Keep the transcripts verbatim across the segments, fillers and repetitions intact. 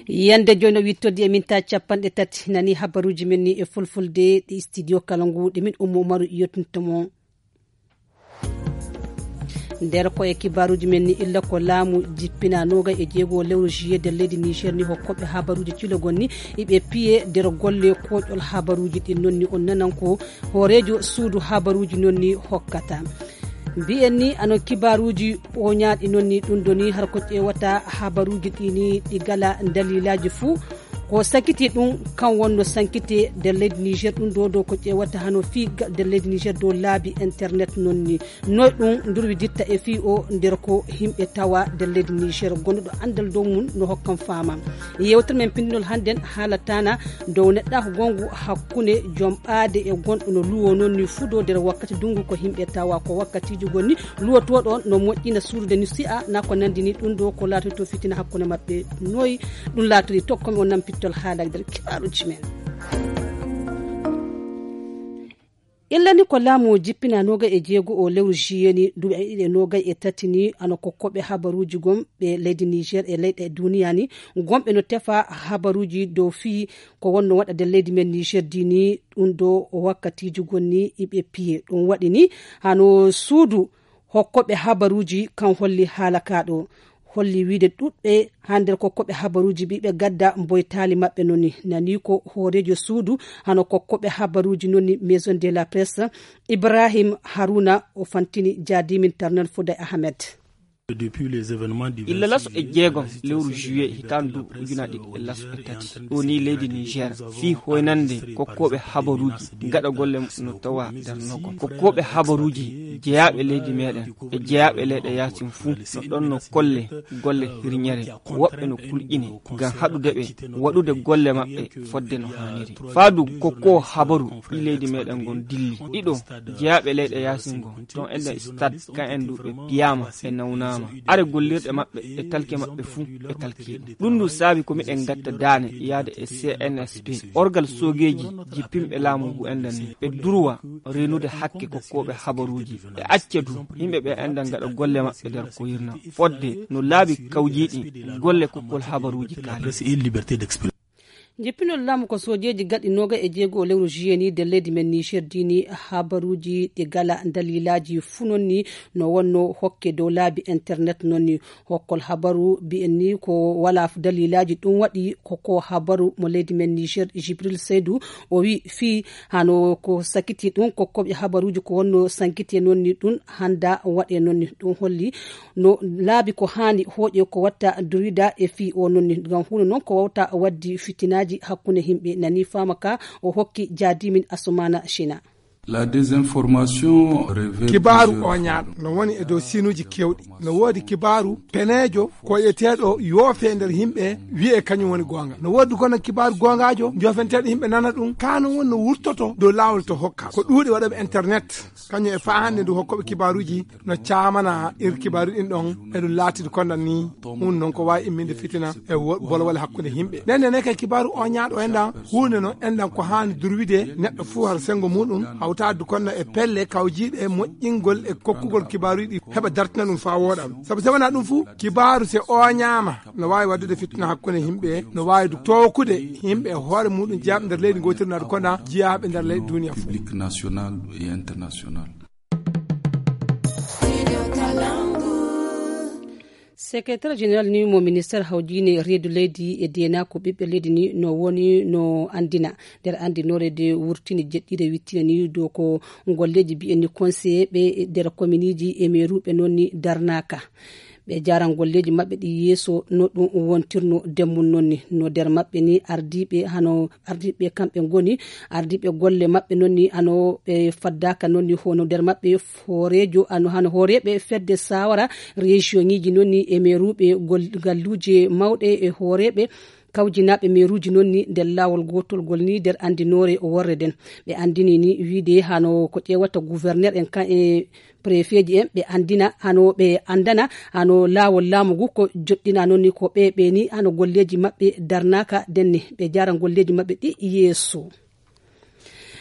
Yande jooni o wittoddi e minta capanɗe tati nani habaruuji men ni e fulfulde ɗi studio kala ngu ɗi min ummo umaru yottinto mon. Nder ko e kibaaruuji men ni illa ko laamu jippina noga e jeego lewru juillet nder leydi niger ni hokkoɓe habaruuji cilogol ni iɓe piye nder golle koƴol habaruuji ɗin noon ni on nanan ko hooreejo suudu habaruuji noon ni hokkata. Mbiyen ni ano kibaaruuji oñaaɗi noon ni ɗum ɗo ni har ko ƴeewata habaruuji ɗi ni ɗi gala daliilaaji fuu. Ko sankiti ɗum kan wonno sankite nder leydi niger ɗum ɗo ɗo ko ƴeewata hano fii nder leydi niger dow laabi internet noon ni noy ɗum ndurwiditta e fii o nder ko yimɓe tawa nder leydi niger gonɗo ɗo anndal dow mum no hokkan faama. Yewtere men pinndinol hannden haalatana dow neɗɗaako gongu hakkunde joom ɓaade e gonɗo no luwo noon ni fudo nder wakkati dungu ko yimɓe tawa ko wakkatiji gonni luwotoɗo no moƴƴina suudude ni si'a na ko nandi ni ɗum ɗo ko laatoto fitina hakkunde maɓɓe. Noyi ɗum laatori tokkomi o nampittol haala nder kibaaruji men. Illani ko laamu jippina nogay e jeego o lewru juillet ni duɓe ɗiɗi e nogay e tati ni ano kokkoɓe habaruji gom ɓe leydi niger e leyɗe duniya ni gomɓe no tefa habaruji dow fii ko wonno waɗa nder leydi men niger di ni ɗum ɗo wakkatiji gonni iɓe piye ɗum waɗi ni hano suudu hokkoɓe habaruji kan holli haala kaɗo holli wiide ɗuɗɓe ha nder kokkoɓe habaruji ɓiɓe gadda mboytali maɓɓe noni nani ko hoorejo suudu hano kokkoɓe habaruji noni maison de la presse ibrahim haruna o fantini jadimin tarnan fouday ahmed. Illa laso e jeegom lewru juillet hitaande duuɓi ujunaaji ɗiɗi e laso e tati ɗo ni leydi niger fii hoynande kokkooɓe habaruuji gaɗa golle no tawa darnogol kokkooɓe habaruuji jeyaaɓe leydi meɗen e jeyaaɓe leyɗe yaasin fuu no ɗon no kolle golle hirñere woɓɓe no kulƴine ngam haɗude ɓe waɗude golle maɓɓe fodde no haaniri. Faadu kokkoowo habaru ɗi leydi meɗen ngon dilli ɗiɗo jeyaaɓe leyɗe yaasin ngon ton eden stade kan en ɗuɓe piyama e nawnama are gollirɗe maɓɓe e talke maɓɓe fuu ɓe talkiɗum. Ɗum ndu saabi ko miɗen gatta daane yaade e cnsp orgal soogeeji jippinɓe laamu ngu enɗan ni ɓe durwa renude hakke kokkooɓe habaruuji e acca du yimɓe ɓe enɗan gaɗa golle maɓɓe nder ko yirna fodde no laabi kawjiiɗi golle kokkol habaruuji kaali. Jippinol laamu ko soojeeji gaɗi noga e jeego lewru juillet ni nder leydi men niger dini habaruuji ɗi gala daliilaaji fuu noon ni no wonno hokke dow laabi internet noon ni hokkol habaru mbiyen ni ko walaa daliilaaji ɗum waɗi ko ko habaru mo leydi men niger jibril seydou o wi fii hano ko sakiti ɗum kokkoɓe habaruuji ko wonno sankiti e noon ni ɗum hannda waɗe noon ni ɗum holli no laabi ko haani hooƴe ko watta durida e fii o noon ni ngam huunde noon ko wawta waddi fitinaaji hakkunde yimɓe nani faama ka o hokki jaadimin asumana china. La désinformation révèle kibaaru oñaaɗo no woni e dow sinuuji kewɗi no woodi kibaaru peneejo koyeteeɗo yoofe nder yimɓe wiye kañum woni goonga no woodi kono kibaaru goongaajo joofenteeɗo yimɓe nana ɗum ka no woni no wurtoto dow laawol to hokka ko ɗuuɗi waɗaɓe internet kañum e faa hannde ndu hokkoɓe kibaaruuji no caamana ir kibaaru ɗin ɗon eɗum laatidi kondan ni ɗum noon ko waawi imminde fitina e bolwole hakkunde yimɓe nden ne kay kibaaru o ñaaɗo enɗan huunde no enɗan ko haani durwide neɗɗo fuu har senngo muɗum hawtaade konno e pelle kawjiiɗe moƴƴingol e kokkugol kibaaruuji ɗi heɓa dartina ɗum faa wooɗa sabu so wonaa ɗum fuu kibaaru so oñaama no waawi waɗdude fitina hakkunde yimɓe no waawi du tookude yimɓe e hoore muɗum jeyaaɓe nder leydi ngootirnaade kona jeyaaɓe nder leydi duniya fof. Secrétaire général ni mo ministère hawjine reedu leydi e dena ko ɓiɓɓe leydi ni no woni no andina nder andinore de wurtini jeɗɗire wittina ni do ko golleji mbiyen ni conseiller ɓe nder kominiji e meruɓe noon ni darnaka ɓe jaran golleji maɓɓe ɗi yeeso no ɗum wontirno demmum noon ni no nder maɓɓe ni ardiɓe hano ardiɓe kamɓe ngoni ardiɓe golle maɓɓe noon ni hano ɓe faddaka noon ni hono nder maɓɓe hoorejo ano hano hooreɓe fedde sawara région ngiji noon ni e meruɓe galluji mawɗe e hooreɓe kawjinaɓe meruji noon ni nder lawol gotol ngol ni nder andinore worre nden ɓe andini ni wiide hano ko ƴewata gouverneur en kan e préfet ji en ɓe andina hano ɓe andana hano lawol laamu ngu ko joɗɗina noon ni ko ɓe ɓe ni hano golleji maɓɓe darnaka nden ni ɓe jara golleji maɓɓe ɗi yeeso.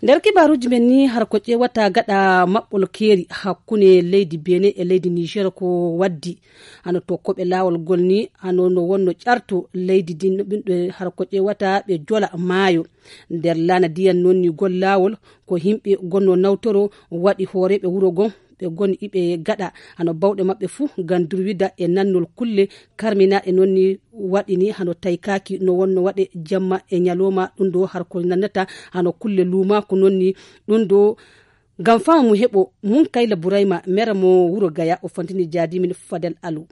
Nder kibaaruuji men ni, har ko ƴeewata gaɗa maɓɓol keeri hakkunde leydi Benin e leydi Niger ko waddi, hano to koɓe laawol ngol ni, hano no wonno ƴarto leydi din, ɓinɓe har ko ƴeewata ɓe jola maayo. Nder laana diyan noon ni gol laawol, ko yimɓe gonno nawtoro waɗi hooreeɓe wuro gon, ɓe goni iɓe gaɗa hano bawɗe maɓɓe fuu ngam durwida e nannol kulle karminaaɗe noon ni waɗi ni hano taykaaki no wonno waɗe jamma e ñalooma. Ɗum ɗo har ko nannata hano kulle luumaako noon ni ɗum ɗo. Ngam faamu mu heɓo mun Kayla Burayma, mera mo wuro Gaya, o fantini jaadimin Fadel Alu.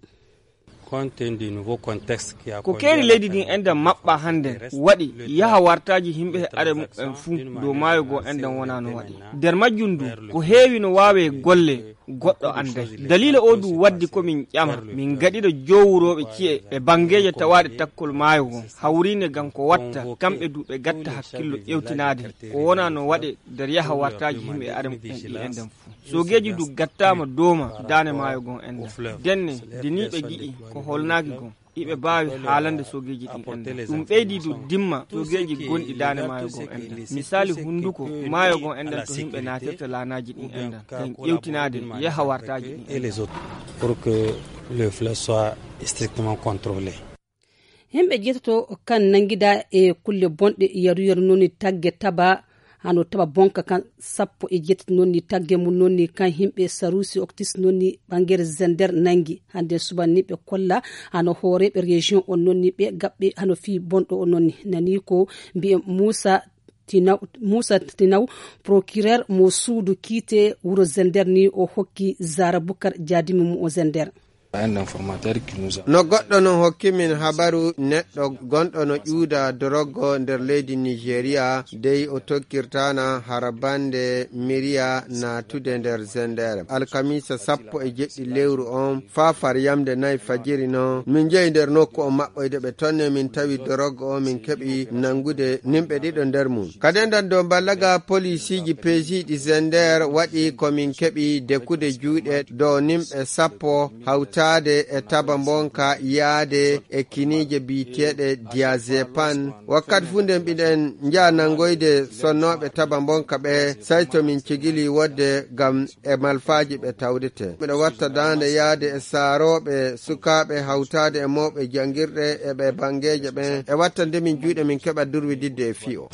Ko keeri leydi ndin enɗan maɓɓa hannde waɗi yaha wartaaji yimɓe e are muɓɓen fuu dow maayo goo enɗan wonaa no waɗi. Nder majjum ndu ko heewi no waawee golle goɗɗo annday. Daliila oo du waddi ko min ƴama, min gaɗira joowurooɓe ci'e e banngeeje tawaaɗe takkol maayo goo, hawriinde ngam ko watta kamɓe du ɓe gatta hakkillo ƴewtinaade ko wonaa no waɗe nder yaha wartaaji yimɓe e are muɓɓen ɗi enɗan fuu. Soogeeji du gattaama dooma daane maayo goo enɗan. Denne, nde nii ɓe gi'i ko holnaaki goo, iɓe mbaawi haalande soogeeji ɗin enɗan. Ɗum ɓeydi du dimma soogeeji gonɗi daane maayo goo enɗan. Misaali hunnduko maayo goo enɗan to yimɓe naatirta laanaaji ɗin enɗan. Ngam ƴewtinaade yaha wartaaji ɗin enɗan. Pour que le fleuve soit strictement contrôlé. Yimɓe jeetato kan nanngida e kulle bonɗe yaru yaru noon ni tagge taba, hano taba bonka kan sappo e jeetati noon ni tagge mum noon ni kan yimɓe Sarusi Oktis noon ni ɓangere Zender nanngi. Hannde suban ni ɓe kolla hano hooreeɓe région on noon ni ɓe gaɓɓe hano fii bonɗo on noon ni. Nani ko mbi'en Muusa Tinaw, Muusa Tinaw, procureur mo suudu kiite wuro Zender ni o hokki Zara Bukar jaadimi mum o Zender. No goɗɗo no hokki min habaru neɗɗo gonɗo no ƴuuda doroggo nder leydi Nigeria, dey o tokkirtaana hara bande miriya naatude nder Zender. Alkamiisa sappo e jeɗɗi lewru on, faa far yamde nay fajiri non, min jehi nder nokku on maɓɓoyde ɓe tonne, min tawi doroggo on, min keɓi nanngude nimɓe ɗiɗo nder mum. Ka dendan dow mballaga, polisiiji peesiiɗi Zender waɗi ko min keɓi dekude juuɗe dow nimɓe sappo hawtaade e taba mbonka yaade e kiniije biyeteeɗe diazepam. Wakkati fuu nden mbiɗen njaha nanngoyde sonnooɓe taba mbonka ɓe, say to min cigili wodde ngam e malfaaji ɓe tawdete. Miɗo watta daande yaade e saarooɓe sukaaɓe hawtaade e mawɓe janngirɗe e ɓe banngeeje ɓen e wattande min juuɗe min keɓa durwididde e fii o.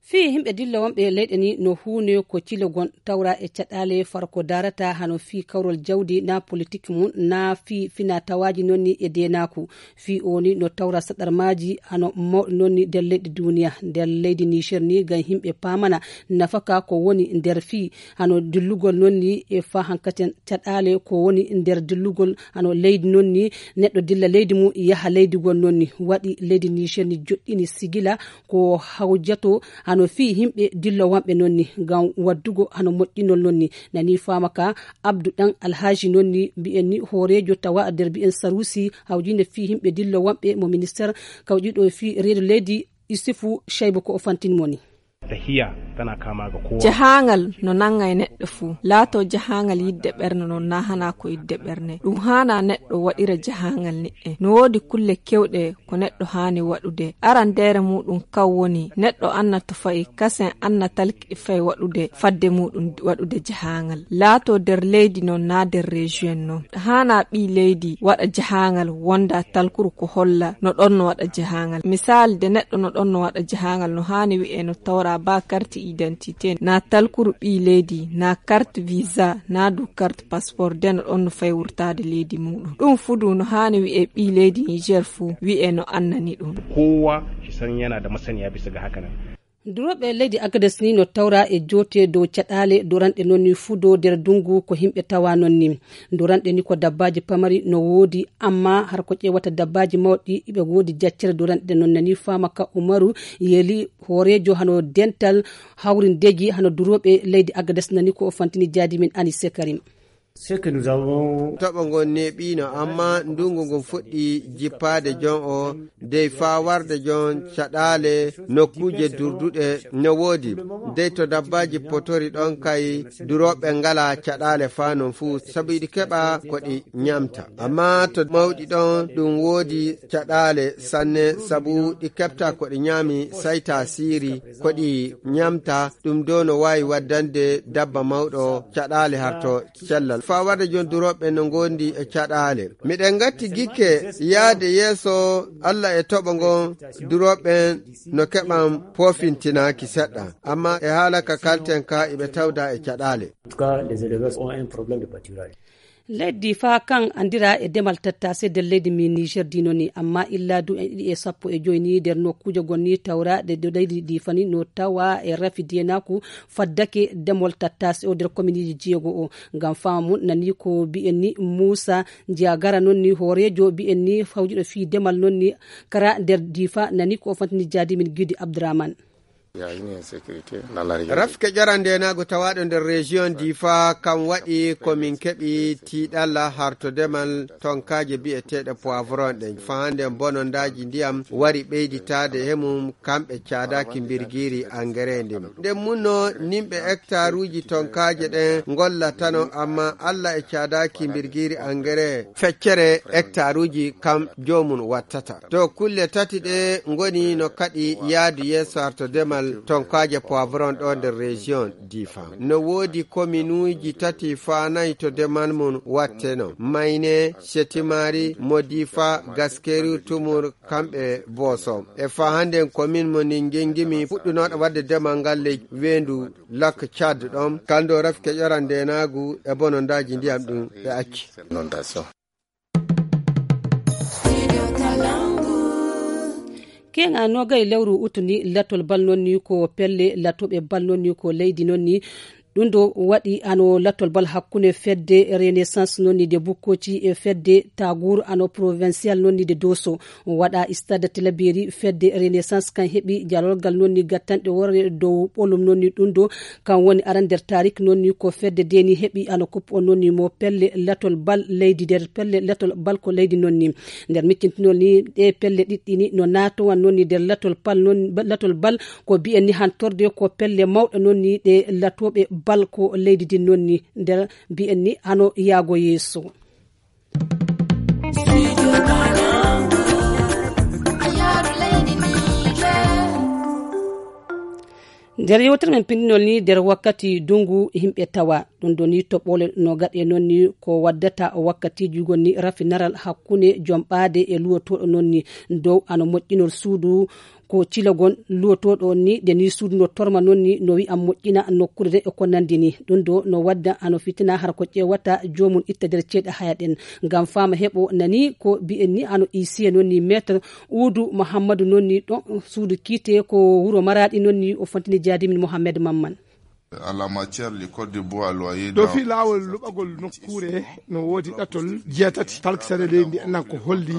Fii yimɓe dilla wonɓe leyɗe ni no huune ko cilogon tawra e caɗaale far ko daarata hano fii kawrol jawdi na politik mum na fii fina tawaaji noon ni e deenaaku. Fii o ni no tawra saɗarmaaji hano mawɗi noon ni nder leyɗe duuniya. Nder leydi Niger ni ngam yimɓe paamana nafaka ko woni nder fii hano dillugol noon ni e faa hankaten caɗaale ko woni nder dillugol hano leydi noon ni neɗɗo dilla leydi mum yaha leydi gol noon ni waɗi leydi Niger ni joɗɗini sigila ko hawjato hano fii yimɓe dillowanɓe noon ni ngam waddugo hano moƴƴinol noon ni. Nani faama ka Abdu Ɗan Alhaji noon ni mbi'en ni hooreejo tawa nder mbi'en Sarusi hawjinde fii yimɓe dillowanɓe mo minister kawƴiɗo fii reedu leydi Isufu Shaybu ko o fantin mo ni. Tahiya tana kama ga kowa. Jahaangal no nannga e neɗɗo fuu. Laato jahaangal yidde ɓerne non na hana ko yidde ɓerne. Ɗum haana neɗɗo waɗira jahaangal ni'e. No woodi kulle kewɗe ko neɗɗo haani waɗude. Arandeere muuɗum kan woni neɗɗo anna to fa'i, kasen anna talki fay waɗude fadde muuɗum waɗude jahaangal. Laato nder leydi non na nder région non. Haana ɓii leydi waɗa jahaangal wonda talkuru ko holla no ɗon no waɗa jahaangal. Misaali de neɗɗo no ɗon no waɗa jahaangal no haani wi'e no tawra ba carte identité na talkuru ɓii leydi na carte visa na du carte passeport de no ɗon no fay wurtaade leydi muuɗum. Ɗum fuu du no haani wi'e ɓii leydi Niger fuu wi'e no annani ɗum. Kowa shi san yana da masaniya bisa ga haka nan. Durooɓe leydi Agades ni no tawra e joote dow caɗaale doranɗe noon ni fuu dow nder ndungu ko yimɓe tawa noon ni. Doranɗe ni ko dabbaaji pamari no woodi, amma har ko ƴeewata dabbaaji mawɗi iɓe woodi jaccere doranɗe noon nani faama ka Umaru Yeli hooreejo hano dental hawrindeeji hano durooɓe leydi Agades nani ko o fantini jaadi min Anise Karim. Ce que nous avons Toɓo ngon neeɓiino, amma ndunngu ngun fuɗɗii jippaade jon o, dey faa warde jon caɗaale nokkuuje durduɗe no woodi. Dey to dabbaaji potori ɗon kay, durooɓe ngalaa caɗaale faa non fuu, sabu iɗi keɓa ko ɗi ñamta. Amma to mawɗi ɗon, ɗum woodi caɗaale sanne, sabu ɗi keɓta ko ɗi ñaami, sayta siiri, ko ɗi ñamta, ɗum do no waawi waddande dabba mawɗo caɗaale harto cellal. Faa warde jon durooɓe no ngondi e caɗaale. Miɗen ngatti gikke yaade yeeso Alla e toɓo ngon, durooɓe no keɓan poofintinaaki seɗɗa. Amma e haala ka kalten ka iɓe tawda e caɗaale. En tout cas, les éleveurs ont un problème de pâturage. Leydi faa kan anndira e demal tattase nder leydi mi Niger dino ni, amma illa du en ɗiɗi e sappo e joyi ni nder nokkuuje gon ni tawra ɗe ɗo leydi ndi fani no tawa e rafi dienaku faddake demol tattase o nder kominiji jeego o. Ngam fama mun nani ko bi'en ni Musa Njagara non ni hooreejo bi'en ni fawjuɗo fii demal non ni kara nder difa nani ko o fantini jaadi min Gidi Abdurrahman. Rafke ƴorandenaagu tawaaɗo nder région Difa kam waɗi ko min keɓi tiiɗalla harto demal tonkaaje bi'eteeɗe poivron ɗen. Fahande bonondaaji ndiyam wari ɓeyditaade he mum kamɓe caadaaki mbirgiiri engrais ndin. Nden munno nimɓe hectaruuji tonkaaje ɗen ngollatano, amma Alla e caadaaki mbirgiiri engrais feccere hectaruuji kam joomum wattata. To kulle tati ɗe ngoni no kaɗi yaadu yeeso harto demal tonkaaje poivron ɗo nder région Difa. No woodi kominuuji tati faa nayi to demal mum watteno. Mayne, Setimari, Modifa, Gaskeru, Tumur, kamɓe Boso. E faa hannden komin mo ni ngengimi fuɗɗunooɗo waɗde demal ngal ley weendu Lak Tchad ɗon. Kalndo rafke ƴoran ndenaagu e bonondaaji ndiyam ɗum ɓe acci. Inondation. Keŋa nogay lewru utu ni latol bal non ni ko pelle latoɓe bal non ni ko leydi non ni. Ɗum ɗo waɗi ano latol bal hakkunde fedde Renaissance non ni de Bukkoci e fedde Tagour ano provincial non ni de Dosso. Waɗa stade Tilaberi fedde Renaissance kan heɓi jalorgal non ni gattanɗe worre dow ɓolum non ni ɗum ɗo kan woni aran nder tarik non ni ko fedde deni heɓi ano coupe on non ni mo pelle latol bal leydi nder pelle latol bal ko leydi non ni. Nder miccintinol ni ɗe pelle ɗiɗɗi ni no natowan non ni nder latol pal non latol bal ko bi'en ni hantorde ko pelle mawɗe non ni ɗe latoɓe bal ko leydi din non ni nder bi'en ni hano yaago yeeso. Nder yewtere men pindinol ni nder wakkati dungu himɓe tawa ɗum ɗo ni toɓɓole no gaɗe non ni ko waddata wakkatiji gon ni rafinaral hakkunde jom ɓaade e luwotoɗo non ni dow ano moƴƴinol suudu ko cilagon luwotoɗo on ni de ni suudu no torma non ni no wi'an moƴƴina nokkuure de e ko nandi ni ɗum ɗo no wadda ano fitina har ko ƴewata jomum itta nder ceeɗe haya ɗen ngam fama heɓo nani ko bi'en ni ano isiye non ni maître Udu Muhammadu non ni ɗon suudu kiite ko wuro Maraɗi non ni o fontini jaadimin Mohammed Mamman. À la matière, le code de bois loyer. Ɗo fii laawol luɓagol nokkuure no woodi ɗatol jeetati talkisere leydi ndi enɗan ko holli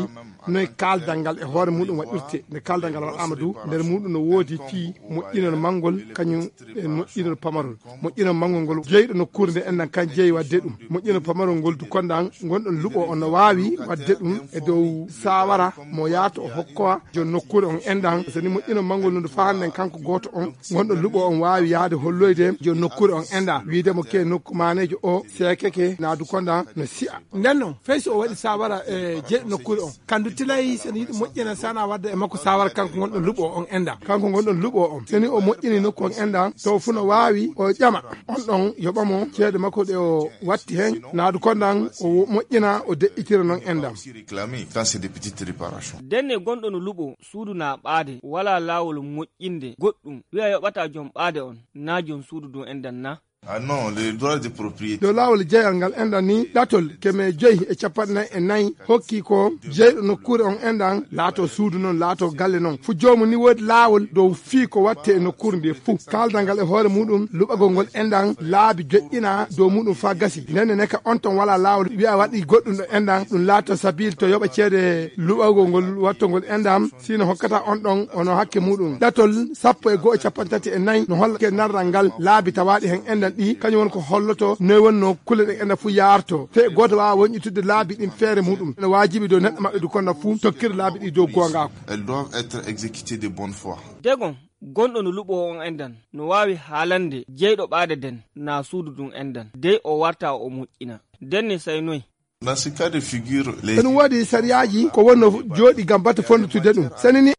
noye kaaldal ngal e hoore muɗum waɗirte. Nde kaaldal ngal waɗaama du nder muɗum no woodi fii moƴƴinol manngol kañum e moƴƴinol pamarol. Moƴƴinol manngol ngol jeyɗo nokkuure nde enɗan kan jeyi waɗde ɗum. Moƴƴinol pamarol ngol du kondan ngonɗon luɓo on no waawi waɗde ɗum e dow saawara mo yaato o hokkowa jon nokkuure on enɗan. So ni moƴƴinol manngol no du fahanden kanko gooto on ngonɗo luɓo on waawi yahde holloyde jon nokkuure on enɗan wiide mo ke nokku maaneejo o seekeke naadu kondan no si'a. Nden non fay so o waɗi saawara e jeyɗo nokkuure on kandu tilay so ni yiɗi moƴƴina sana wadda e makko saawara kanko ngonɗo luɓo on enɗan. Kanko ngonɗon luɓo on so ni o moƴƴini nokku on enɗan taw fu no waawi o ƴama on ɗon yoɓa mo ceede makko ɗe o watti hen naadu kondan o moƴƴina o deƴƴitira non enɗan. Réclamer quand c'est des petites réparations. Denne gonɗo no luɓo suudu na ɓaade wala laawol moƴƴinde goɗɗum wi'a yoɓata jom ɓaade on na jom suudu ɗum enɗan na. Ah non, le droit de propriété. Dow laawol jeyal ngal enɗan ni ɗatol keme joyi e capanɗe nayi e nayi hokki ko jeyɗo nokkuure on enɗan laato suudu non laato galle non fu joomum ni woodi laawol dow fii ko watte e nokkuure nde fuu kaaldal ngal e hoore muɗum luɓagol ngol enɗan laabi joƴƴina dow muɗum faa gasi ndenne neka on ton wala laawol wi'a waɗi goɗɗum ɗo enɗan ɗum laato sabiil to yoɓa ceede luɓagol ngol wattogol enɗan sino hokkata on ɗon ono hakke muɗum ɗatol sappo e go'o capanɗe tati e nayi no holla ke narral ngal laabi tawaaɗi hen enɗan. Ɗi kañum woni ko holloto noy wonno kulle ɗe ena fuu yaarto. Te gooto waawa wonƴitude laabi ɗin feere muɗum. Ene waajibi dow neɗɗo maɓɓe du kono fuu tokkira laabi ɗi dow goongaaku. Elles doivent être exécutées de bonne foi. Degon, gonɗo no luɓo on endan, no waawi haalande jeyɗo ɓaade den, naa suudu ɗum endan. Dey o warta o moƴƴina. Den ne say noy? Dans ce cas de figure, les Ene woodi sariyaaji ko wonno jooɗi ngam batte fonndude ɗum. Sani ni.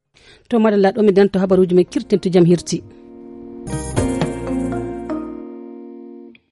To madalla ɗo mi danto habaruuji men kirtinto jam hirti.